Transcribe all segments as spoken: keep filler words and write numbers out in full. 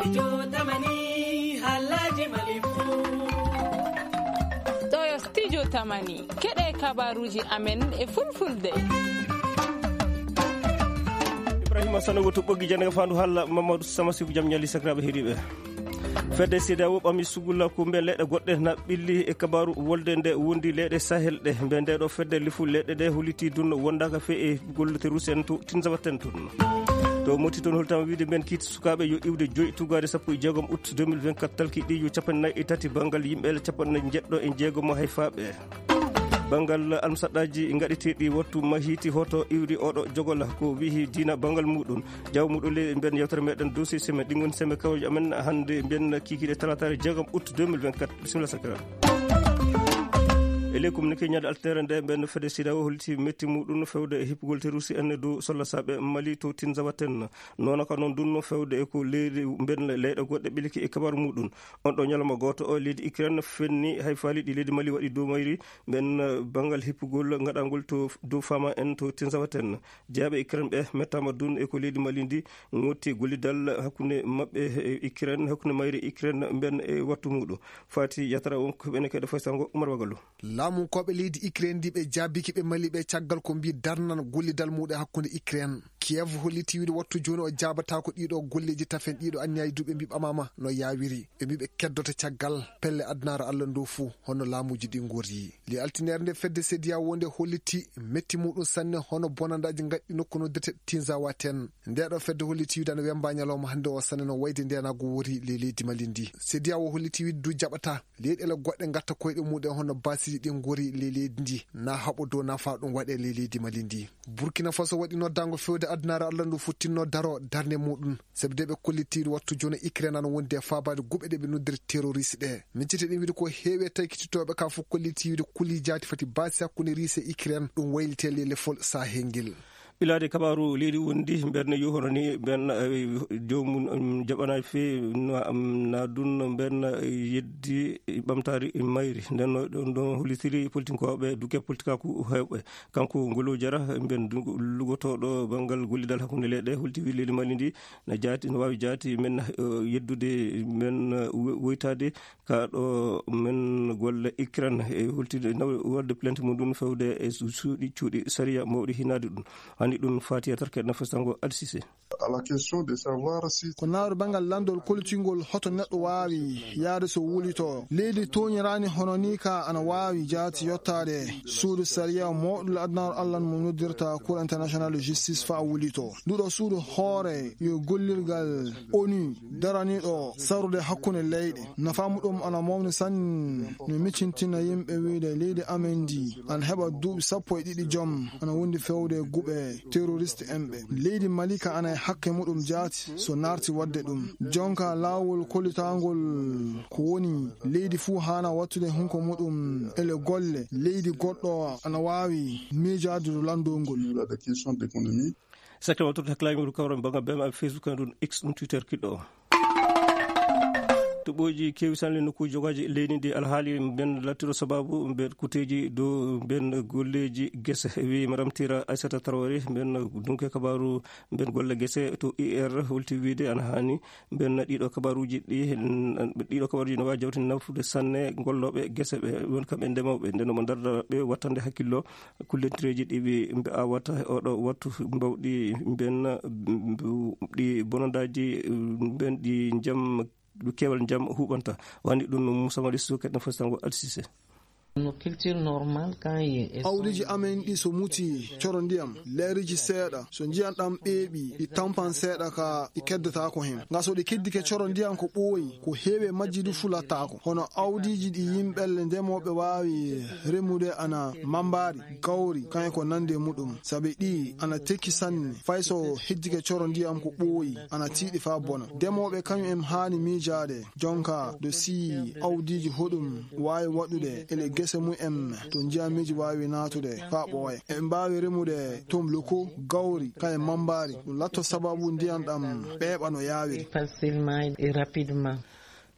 Studio Tamani, halaji Malibu. Ɗo yo Studio Tamani, keɗe kabaruji amen e fulfulde. Ibrahima Sanogo to ɓoggi jannde fandu halla Mamadou Samasibu jam ñali sakiraɓe heɗiɓe. Fedde C D A O ɓami sugulla ko mbe leɗɗe goɗɗe na ɓilli e kabaru wolde nde wondi leɗɗe Sahel ɗe. Mbe nde ɗo fedde lifu leɗɗe ɗe holiti dun wondaka fe e gollete Rusi en to Tinzawaten tun. To moti toon holtama wiide mben kiit sukaaɓe yo iwde joyi tugaade sappo e jeegom août deux mille vingt-quatre, talki ɗi yo capanɗe nayi e tati banngal yimɓe capanɗe jeɗɗo e jeegom hay faaɓe. Banngal almusaɗɗaaji ngaɗeteeɗi wattu mahiti hoto iwri oɗo jogola ko wihi diina banngal muɗum. Jaw muɗum le mben yewtere meɗen dossier semaine ɗi ngoni semaine kawji amen hannde mben kiikiɗe talataare jeegom août deux mille vingt-quatre. Bisimilla sakira. E ley communiqué ñande altere nde mben fedde C D A O holliti metti muɗum fewde e hippugol terroriste en dow solla saɓe Mali to Tinzawaten. Noon ko noon dunno fewde e ko leydi mben leyɗe goɗɗe ɓiliki e kabaru muɗum. On ɗo ñalawma gooto o leydi Ukraine fenni hay faali ɗi leydi Mali waɗi dow mayri mben, eh, banngal hippugol ngaɗangol to dow fama en to Tinzawaten. Jeyaɓe Ukraine ɓe mettama dun e ko leydi Mali ndi ngotti gollidal hakkunde maɓɓe e Ukraine, hakkunde mayri Ukraine mben e wattu muɗum. Fati yatara on ko ɓene kede foy sango Umar Wagalo. Laamunkooɓe leydi Ukraine ndi ɓe jaabiki ɓe Mali ɓe caggal ko mbi darnan gollidal muɗum e hakkunde Ukraine. Kiev holliti wiide wattu jooni o jaabatako ɗiɗo golleji tafen ɗiɗo anniyaji duuɓe mbi ɓamama no yawiri. Ɓe mbi ɓe keddoto caggal pelle adunaaru Allah ndu fuu hono laamuji ɗi ngorri. Li altinere nde fedde C D A O nde holliti metti muɗum sanne hono bonandaji ngaɗɗi nokku noddirte Tinzawaten. Nde ɗo fedde holliti wiide ana wemba ñalawma hannde o sanne no wayde ndenago wori le leydi Mali ndi. C D A O holliti wiide du jaɓata leyɗele goɗɗe ngatta koyɗe muɗum hono basiji ɗi ngori le leydi ndi na haɓo dow nafa ɗum waɗe le leydi Mali ndi. Burkina Faso waɗi noddango fewde adunaaru Allah ndu futtinno daro darnde muɗum. Sabi de ɓe kollitiiɗo wattu jooni Ukraine ana wondi e faabaade guɓe ɗe ɓe noddiri terroriste ɗe. Miccite ɗin wiide ko heewi e taykititooɓe ka fof kollitiiɗo kuli jaati fati baasi hakkunde Russie e Ukraine ɗum waylitee le lefol Sahel ngel. Ɓilaade kabaaru leydi wondi mberne yo hono ni mben, eh, joomum, um, jaɓanaay fee no, um, na dun mben, eh, yeddi ɓamtaari mayri. Nden no ɗon ɗon holitiri politinkooɓe duke politikaaku heewɓe. Kanko Ngolo Jara, mben du-, lugotooɗo banngal gollidal hakkunde leyɗe, holti wi leydi Mali ndi na jaati, no waawi jaati men, eh, yeddude men, eh, wo-, woytaade ka ɗo men golle Ukraine e holtide naw-, wadde plainte mum ɗum fewde e su-, suuɗi cuuɗi sariya mawɗi hinaade ɗum. Hani ɗum fati e tarke na festango Alsise. À la question de savoir si Ko nawri banngal lanndol koltingol hoto neɗɗo waawi yaade so wulito. Leydi tooñiraani hono ni ka ana waawi jaati yottaade suudu sariya mawɗo adunaaru Allah mo noddirta Cour International de Justice faa wulito. Nduɗo suudu hoore yo gollirgal onu daraniiɗo sarrude hakkunde leyɗe. Nafa muɗum ana mawni sanne no miccintina yimɓe wiide leydi amen ndi ana heɓa duuɓi sappo e ɗiɗi joom ana wondi fewde guɓe terroriste en ɓe. Leydi Mali ka ana e hakke muɗum jaati so naarti waɗde ɗum. Jonka laawol kollitangol ko woni leydi fuu haana wattude hunko muɗum ele golle leydi goɗɗo ana waawi miijaade dow lanndol ngol. La question d'économie. Secteur waɗtude hakkilaaji mum kawra banngal B M A Facebook en ɗum X ɗum Twitter kiɗɗo o. Toɓɓooji keewi sanne nokkuuji jogaaji leydi ndi alhaali mben lattiro sababu mben kuteeji dow mben golleeji gese. Wi Madame Tira Aissata Traoré mben dunke kabaaru mben golle gese to I R holti wiide ana haani mben ɗiɗo kabaaruuji ɗi, ɗiɗo kabaaruuji no waawi jawtinde nafude sanne gollooɓe gese ɓe won kamɓe ndemooɓe. Nden omo darda ɓe wattande hakkillo kullentereeji ɗi ɓe, ɓe awata e oɗo wattu mbawɗi mben, mbu-, ɗi bonondaaji mben ɗi njam, ɗi keewal njam huɓanta. Wani ɗum Moussa Malick Sow, keɗen fof sango Alsise. No culture normale quand il est Awdiji amen ɗi so muti coro ndiyam, leeriji seeɗa, so ndiyan ɗam ɓeeɓi, ɗi tampan seeɗa ka ɗi keddataako hen. Nga so ɗi keddike coro ndiyan ko ɓooyi, ko heewi e majji du fulattaako. Hono awdiji ɗi yimɓelle ndemooɓe waawi remude ana mambaari, gawri, kañum ko nande muɗum. Sabi ɗi ana tekki sanne, fay so heddike coro ndiyam ko ɓooyi, ana tiiɗi faa bona. Ndemooɓe kañum en haani miijaade, jonka, do si awdiji hoɗum waawi waɗude ele gese mum en to ndiyamiji waawi naatude faa ɓooya. En mbaawi remude tom loko, gawri, kañum mambaari. Ɗum latto sababu ndiyan ɗam ɓeeɓa no yaawiri. Facilement et rapidement.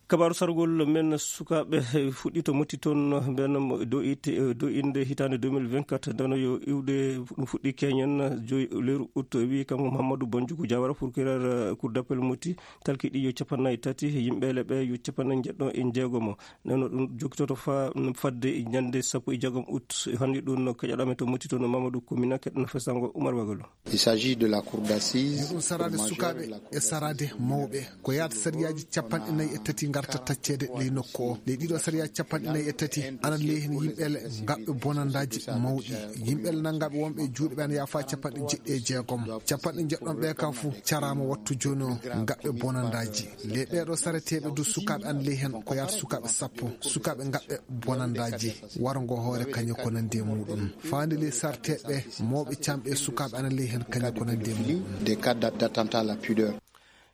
Kabaaru sargol men sukaaɓe fuɗɗii to Moti toon, mbeen mo dow it-, dow innde hitaande deux mille vingt-quatre, ndeno yo iwde ɗum fuɗɗii keñen joyi lewru août, wi kanko Mouhamadou Bandjougou Diawara, procureur, eh, cour d'appel Moti, talki ɗi yo capanɗe nayi tati, yimɓe le ɓe yo capanɗe njeɗɗo e jeegomo. Ndeno ɗum jokkitoto fa-, fadde ñande sappo e jeegom août. Hannde ɗum no keƴaɗo men to Moti toon, Mamadou Koumina, keɗɗo no fesango Oumar Bagalo. Il s'agit de la cour d'assises. Ɗum saraade sukaaɓe e saraade mawɓe. Ko yaata sariyaaji capanɗe nayi e tati ngarta tacceede ley nokku o. Ley ɗiɗo sariyaaji capanɗe nayi e tati, ana ley heen yimɓe le ngaɓɓe bonandaaji mawɗi. Yimɓe le nangaaɓe wonɓe e juuɗe ɓe ana yaafa capanɗe jeɗɗi e jeegom. Capanɗe jeɗɗon ɓe ka fuu caraama wattu jooni o ngaɓɓe bonandaaji. Ley ɓeeɗo sareteeɓe du sukaaɓe ana ley heen ko yaata sukaaɓe sappo. Sukaaɓe ngaɓɓe bonandaaji. Warngo hoore kañum ko nanndi e muuɗum. Faande ley sarteeɓe mawɓe camɓe e sukaaɓe ana ley heen kañum ko nanndi e muuɗum. Des cas d'attentat à la pudeur.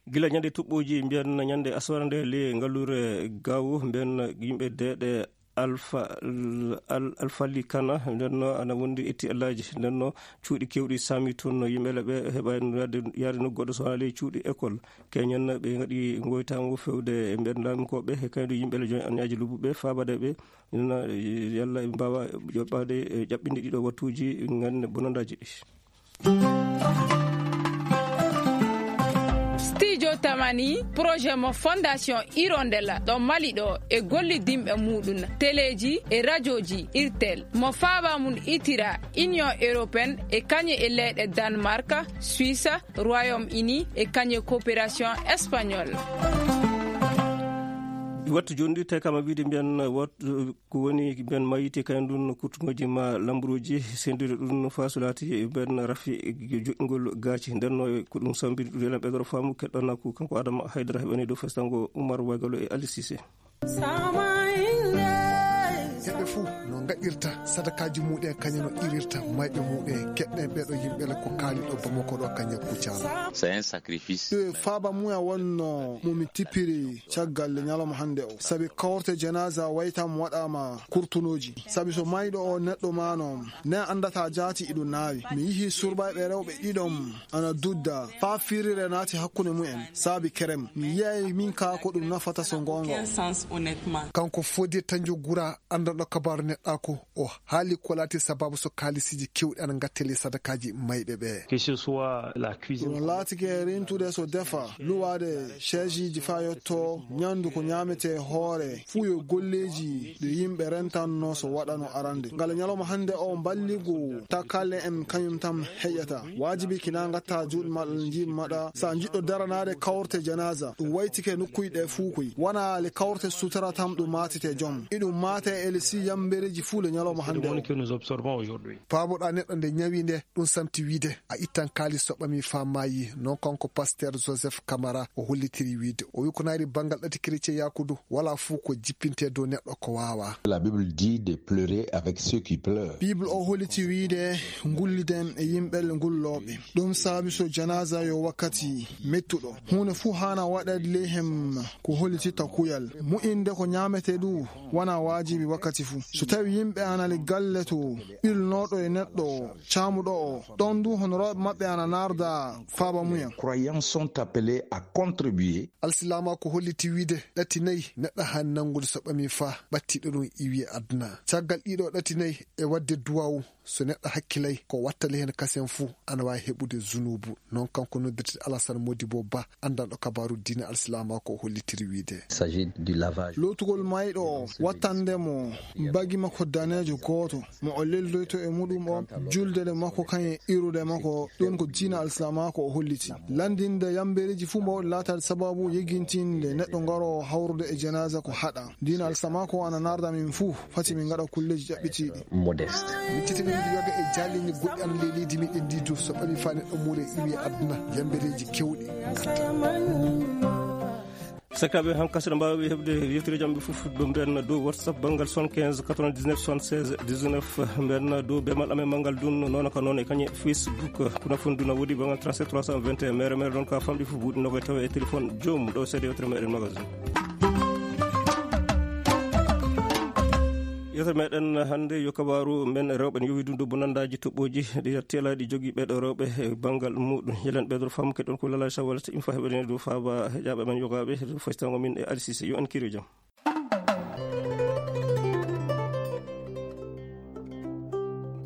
Gila ñande tuɓɓooji mbiyan ñande aswara nde le ngalluure gawo mbiyan yimɓe deeɗe Alfa, Al-, Alfali Kana, nden no ana wondi etti Allaaji, nden no cuuɗi keewɗi saami toon no yimɓe le ɓe heɓaani yaade, yaade nokku goɗɗo so wonaa ley cuuɗi école. Keñen ɓe ngaɗi ngoytaango fewde e mbiyan laamikooɓe, e kaydu yimɓe le jooni an ñaaji lobbuɓe, faabaade ɓe, ina yalla ɓe mbaawa yoɓɓaade, e, ƴaɓɓinde ɗiɗo wattuuji ngande bonandaaji ɗi. Studio Tamani, projet mo Fondation Hirondella ɗo Mali ɗo e gollidinɓe muɗum, teleeji e rajooji Irtel, mo faaba mum itira Union Européenne e kañe e leyɗe Danemark, Suisse, Royaume-Uni e kañe coopération espagnole. Wattu jooni ɗi, te kama wiide mbiyan, wat-, ko woni mbiyan mayiti kañum ɗum no kurtuŋooji ma lamburuuji, senndude ɗum no faasu laati mbiyan rafi joɗɗingol gaaci. Nden no ko ɗum sambiri ɗum enen ɓeydoro faamu keɗɗana ko kanko Adama Haydara heɓani dow festango Oumar Wagalo e Ali Cissé. Heɓe fuu no ngaɗirta sadakaaji muɗen, kañum no irirta mayɓe muɗen. Keɗɗen ɓeeɗo yimɓe le ko kaali ɗo Bamako ɗo kañum kuccano. C'est un sacrifice. Ɗum e faaba muya wonno mo mi tippiri caggal le ñalawma hannde o. Sabi kawrte janaza waytam waɗaama kurtunooji. Sabi so mayɗo o neɗɗo maano, ne anndata jaati iɗum naawi. Mi yihi surbayɓe rewɓe ɗiɗon ana dudda, faa firire naati hakkunde mumen. Saabi kerem. Mi yiyay min kaa ko ɗum nafata so ngoonga. Aucun sens, honnêtement. Kanko Fodé Tandiogura, anndanɗo kabaaru neɗɗaaku, o haali ko laati sababu so kaalisiiji keewɗi ana ngattee ley sadakaaji mayɓe ɓe. Que ce soit la cuisine. Ɗum laatike rentude so defa, luwaade seesiiji faa yotto, ñaandu ko ñaametee hoore, fuu yo golleeji ɗi yimɓe rentanno so waɗano arande. Ngala ñalawma hannde o mballigu takkale en kañum tan heƴata. Waajibi kina ngatta juuɗe maɗa, njiiɗe maɗa. Sa njiɗɗo daranaade kawrte janaza, ɗum waytike nokkuuji ɗe fuu koy. Wona le kawrte sutura tan ɗum maatete jom. Iɗum maate e le si yambereeji fuu le ñalawma hannde o. Paaboɗa neɗɗo nde ñawi nde, ɗum samti wiide, a ittan kaalis so ɓami faa maayi. Non kanko Pasteur Joseph Camara, o hollitiri wiide, o wi ko naari banngal ɗati chrétien yakudu, wala fuu ko jippinte dow neɗɗo ko waawa. La Bible dit de pleurer avec ceux qui pleurent. Bible o holliti wiide, ngulliden e yimɓe le ngullooɓe. Ɗum saabi so janaza yo wakkati mettuɗo. Huunde fuu haana waɗeede ley hem ko hollititta kuyal. Mu'inde ko ñaametee ɗum wona waajibi wakkati fuu. So tawi yimɓe ana le galle to, ɓilnooɗo e neɗɗo caamuɗo o, ɗon du honorooɓe maɓɓe ana naarda faaba muya. Croyants sont appelés à contribuer. Alsilaama ko holliti wiide ɗati nayi neɗɗo haani nanngude so ɓami faa ɓattiɗo ɗum iwi e aduna. Caggal ɗiɗo ɗati nayi e waɗde duwaawu, so neɗɗo hakkilay ko wattali heen kasen fuu ana waawi heɓude zunuubu. Non kanko noddirte Alassane Modibo Ba, anndanɗo kabaaru diine alsilaama ko hollitiri wiide. Il s'agit du lavage. Lootugol mayɗo o, wattande mo bagi makko daneejo gooto, mo o leldoyto e muɗum o, julde le makko kañum e irude makko, ɗum ko diina alsilaama ko o holliti. Lanndinde yambereeji fuu mbaawɗi laataade sababu yegintinde neɗɗo ngaroowo hawrude e janaaza ko haɗa. Diina alsilaama ko ana naarda min fuu, fati min ngaɗa kulleeji ƴaɓɓitiiɗi. Modeste. Min titi min yoga e jaalini goɗɗi ana ley leydi meɗen ndi du, so ɓami faa neɗɗo muure iwi e aduna, yambereeji kewɗi ngarta. Sakiraaɓe, han kasira mbaawi heɓde yewtere jamɓe fof ɗo mbiyan dow WhatsApp banngal soixante-quinze quatre-vingt-dix-neuf soixante-seize dix-neuf, mbiyan dow bemal amen manngal dun, noon ka noon e kañe Facebook, kuna fon duna woodi banngal trente-sept trois cent vingt et un, mere mere ɗon ka famɗi fof buuɗi nogoy tawa e téléphone joomum ɗo seede yewtere meɗen magasin. Yewtere meɗen hannde yo kabaaru men rewɓe ne yowi dundu bonanndaji toɓɓooji ɗi teelaaɗi jogii ɓeeɗo rewɓe e banngal muɗum. Yelen ɓeeɗo faamu ke ɗon ko Lala Sawal so ɗum fa heɓene dow faaba heƴaaɓe men yogaaɓe dow faytango min e Alsise yo en kiri jam.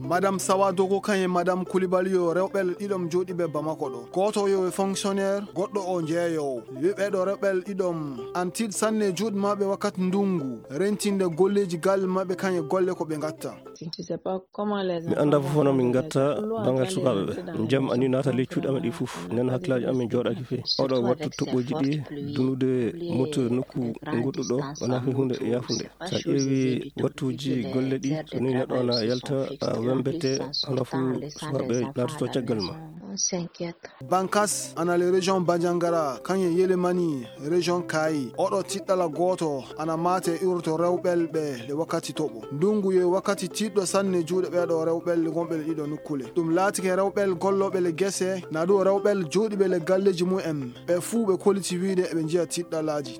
Madame Sawa Dogo kan e Madame Koulibaly yo rewɓe ɗiɗom jooɗiiɓe Bamako ɗo. Gooto yo e fonctionnaire, goɗɗo o jeeyoowo. Wi'ɓeeɗo rewɓe ɗiɗom an tiiɗ sanne juuɗe maɓɓe wakkati ndungu, rentinde golleeji galle maɓɓe kan e golle ko ɓe ngatta. Mi anndaa fof hono min ngatta banngal sukaaɓe ɓe. Jam ani naata ley cuuɗi amen ɗi fof. Nen hakkilaaji amen jooɗaaki fey. Oɗo wattu toɓɓooji ɗi dunude moto nokku goɗɗo ɗo wonaa fey huunde yaafunde. So a ƴeewi wattuuji golle ɗi, so nii neɗɗo ana yalta, a wembete, hono fof sukaaɓe laatoto caggal ma. Bankas ana le région Bandiagara, kañum e Yelemani, région Kaayi. Oɗo tiɗɗala gooto ana maate urto rewɓel ɓe le wakkati toɓo. Ndungu yo wakkati tiiɗɗo sanne juuɗe ɓeeɗo rewɓel gonɓe le ɗiɗo nukkule. Ɗum laatike rewɓel gollooɓe le gese, na ɗum rewɓel jooɗiiɓe le galleeji mumen. Ɓe fuu ɓe koliti wiide eɓe njiya tiɗɗalaaji.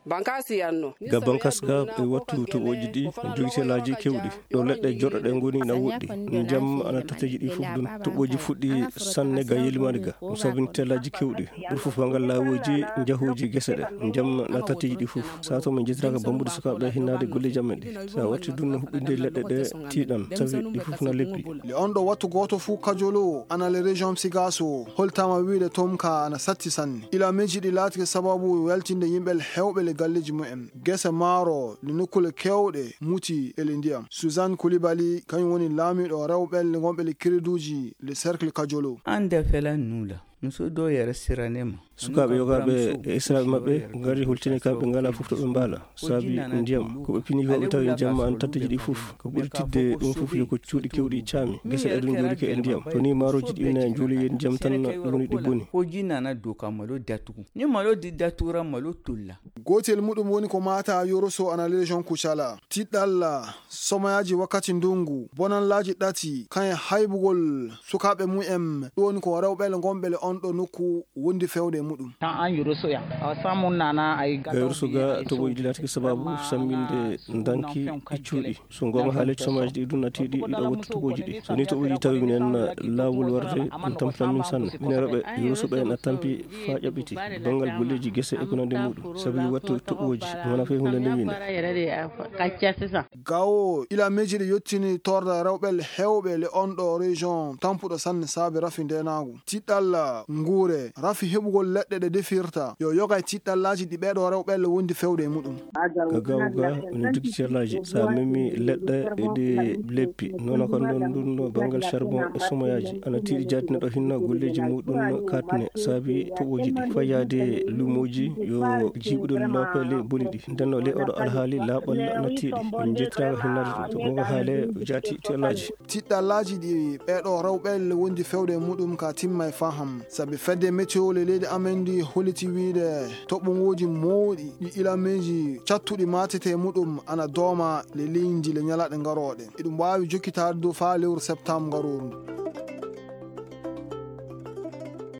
Bankas yanno. Ga bankas ga e wattu toɓooji ɗi jogitelaaji kewɗi. Ɗo leɗɗe joɗɗoɗe ngoni na woɗɗi. Jam ana tatteeji ɗi fof ɗum. Toɓooji fuɗɗi sanne ga Yelimani ga. Ɗum sabini telaaji kewɗi. Ɓuri fof banngal laawooji, njahooji gese ɗe. Jam na tatteeji ɗi fof. Sato min jettiraaka bambude sukaaɓe hinnaade golleeji amen ɗi. So a watti ɗum no huɓɓinde leɗɗe ɗe tiiɗan. Sabi ɗi fof na leppi. Le on ɗo wattu gooto fof kajolo ana le région Sigaso. Holtama wiide toon ka ana satti sanne. Ila meji ɗi laatike sababu weltinde yimɓe hewɓe le galleeji mumen. Gese maaro le nokkule kewɗe muti e le ndiyam. Suzanne Koulibaly, kañum woni laamiiɗo rewɓe le gonɓe le créduuji le cercle kajolo. Ande fela nula. Muso do yere siranema. Sukaaɓe yogaaɓe e esiraaɓe maɓɓe ngari holtini kamɓe ngalaa fof to ɓe mbaala. Saabi ndiyam. Ko ɓe pini ko ɓe tawi jamma an tatteeji ɗi fof. Ko ɓuri tidde ɗum fof yo ko cuuɗi kewɗi caami. Gese ɗe ɗum njuuli ko e ndiyam. Ko ni maaroji ɗi ne njuuli e ndiyam tan woni ɗi boni. Ko jinana do kamalo datugu. Ni malo di datura malo tulla. Gootel muɗum woni ko maata Yoroso ana le région Kucala. Tiɗɗalla, somayaaji wakkati ndungu, bonanlaaji ɗati, kañe haybugol sukaaɓe mumen, ɗum woni ko rewɓe le gonɓe le on ɗo nokku wondi fewde e muɗum. Tan an Yoroso ya. Awa samu nana ay Ga Yoroso ga toɓo yiɗi laatiki sababu samminde ndanki e cuuɗi. So ngoonga haalee, somaaji ɗi ɗum natiiɗi ɗiɗo wattu toɓooji ɗi. So ni toɓooji tawi minen laawol warde, ɗum tampinan min sanne. Minen rewɓe Yoroso ɓe na tampi faa ƴaɓɓiti. Banngal golleeji gese e ko nandi muɗum. Sabu wattu toɓooji, wona fey huunde nde wiinde. Gawo ila mejiri yottini torda rewɓe hewɓe le on ɗo région tampuɗo sanne saabi rafi ndenaagu. Tiɗɗalla nguure, rafi heɓugol leɗɗe ɗe defirta. Yo yoga e tiɗɗallaaji ɗi ɓeeɗo rewɓe le wondi fewde e muɗum. Ka gawo ga, woni dogitellaaji. So a memi leɗɗe e ɗi leppi, nono ko non ɗum no banngal charbon e somoyaaji. Ana tiiɗi jaadi neɗɗo hinna golleeji muɗum katne, saabi toɓooji ɗi. Fayyaade luumooji yo jiiɓude loope le boni ɗi. Nden no le oɗo alhaali laaɓal na tiiɗi. Min njettiraaka hinnaade ɗum. To mo ko haale jaati tellaaji. Tiɗɗallaaji ɗi ɓeeɗo rewɓe le wondi fewde e muɗum ka timma e faham. Sabi fedde météo le leydi amen ndi holliti wiide toɓɓungooji mawɗi ɗi ilameeji cattuɗi maatete e muɗum ana dooma le leydi le ñalaaɗe ngarooɗe. Eɗum waawi jokkitaade dow faa lewru septembre ngarooru ndu.